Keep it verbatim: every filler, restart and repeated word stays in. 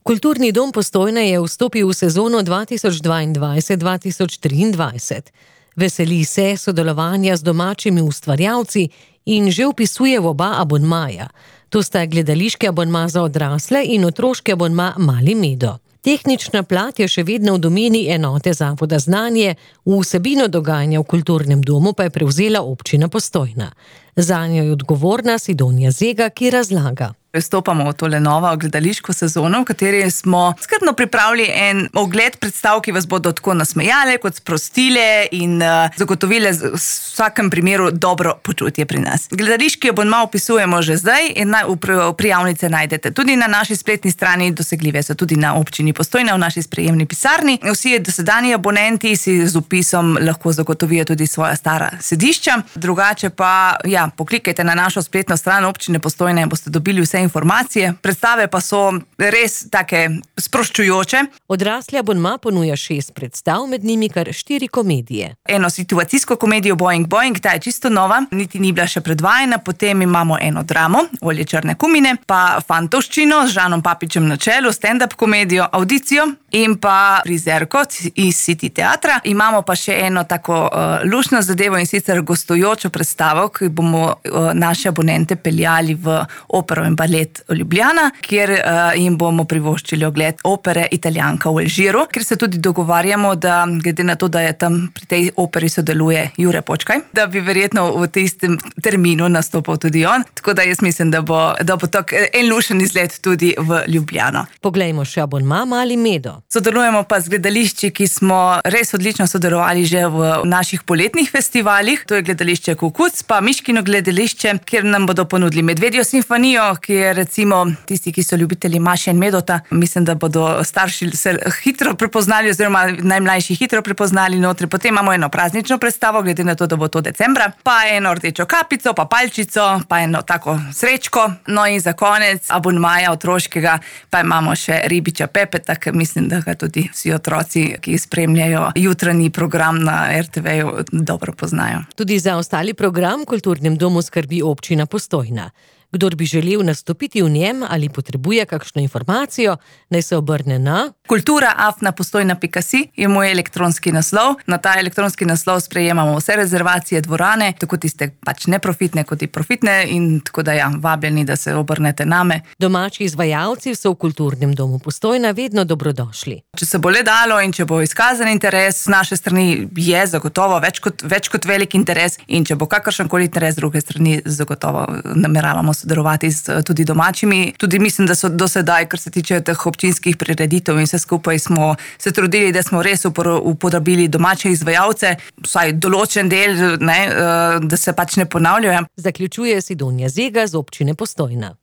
Kulturni dom Postojna je vstopil v sezono dva tisoč dvaindvajset dva tisoč triindvajset. Veseli se sodelovanja z domačimi ustvarjalci in že vpisuje v oba abonmaja. To sta gledališki abonma za odrasle in otroški abonma Mali Medo. Tehnična plat je še vedno v domeni enote Zavoda Znanje, vsebino dogajanja v kulturnem domu pa je prevzela občina Postojna. Zanjo je odgovorna Sidonja Zega, ki razlaga. Vstopamo v tole novo gledališko sezono, v kateri smo skrbno pripravili en ogled predstav, ki vas bodo tako nasmejale, kot sprostile in uh, zagotovile v vsakem primeru dobro počutje pri nas. Gledališki abonma opisujemo že zdaj in na, v prijavnice najdete tudi na naši spletni strani, dosegljive so tudi na občini Postojna v naši sprejemni pisarni. Vsi dosedanji abonenti si z vpisom lahko zagotovijo tudi svoja stara sedišča. Drugače pa, ja, poklikajte na našo spletno stran občine Postojna in boste dobili vse informacije. Predstave pa so res take sproščujoče. Odrasli abonma ponuja šest predstav, med njimi kar štiri komedije. Eno situacijsko komedijo Boing Boing, ta je čisto nova, niti ni bila še predvajana, potem imamo eno dramo, Olje črne kumine, pa fantovščino z Žanom Papičem na čelu, stand-up komedijo, audicijo in pa prizerko iz City teatra. Imamo pa še eno tako uh, luštno zadevo in sicer gostujočo predstavo, ki bomo uh, naše abonente peljali v opero in balet Ljubljana, kjer uh, jim bomo privoščili ogled opere Italijanka v Alžiru, ker se tudi dogovarjamo, da glede na to, da je tam pri tej operi sodeluje Jure Počkaj, da bi verjetno v tistem terminu nastopal tudi on. Tako da jaz mislim, da bo, da bo tak en lušen izlet tudi v Ljubljano. Poglejmo še abonma Mali Medo. Sodelujemo pa z gledališči, ki smo res odlično sodelovali že v naših poletnih festivalih. To je gledališče Kukuc, pa Miškino gledališče, kjer nam bodo ponudili Medvedjo simfonijo, ki je recimo tisti, ki so ljubitelji Maše in Medota, mislim, da bodo starši se hitro prepoznali oziroma najmlajši hitro prepoznali notri. Potem imamo eno praznično predstavo, glede na to, da bo to decembra, pa eno rdečo kapico, pa palčico, pa eno tako srečko. No in za konec abonmaja otroškega pa imamo še Ribiča Pepeta, ker mislim, da ga tudi vsi otroci, ki spremljajo jutranji program na er te veju, dobro poznajo. Tudi za ostali program v kulturnem domu skrbi občina Postojna. Kdor bi želel nastopiti v njem ali potrebuje kakšno informacijo, naj se obrne na kultura afna postojna pika si je moj elektronski naslov. Na ta elektronski naslov sprejemamo vse rezervacije dvorane, tako tiste pač neprofitne kot i profitne, in tako da ja, vabljeni, da se obrnete name. Domači izvajalci so v kulturnem domu Postojna vedno dobrodošli. Če se bo le dalo in če bo izkazan interes z naše strani, je zagotovo več kot, več kot velik interes, in če bo kakršenkoli interes z druge strani, zagotovo nameravamo sodelovati z tudi domačimi. Tudi mislim, da so do sedaj, kar se tiče teh občinskih prireditev in vse skupaj, smo se trudili, da smo res uporabili domače izvajalce, vsaj določen del, ne, da se pač ne ponavljajo. Zaključuje Sidonja Zega z občine Postojna.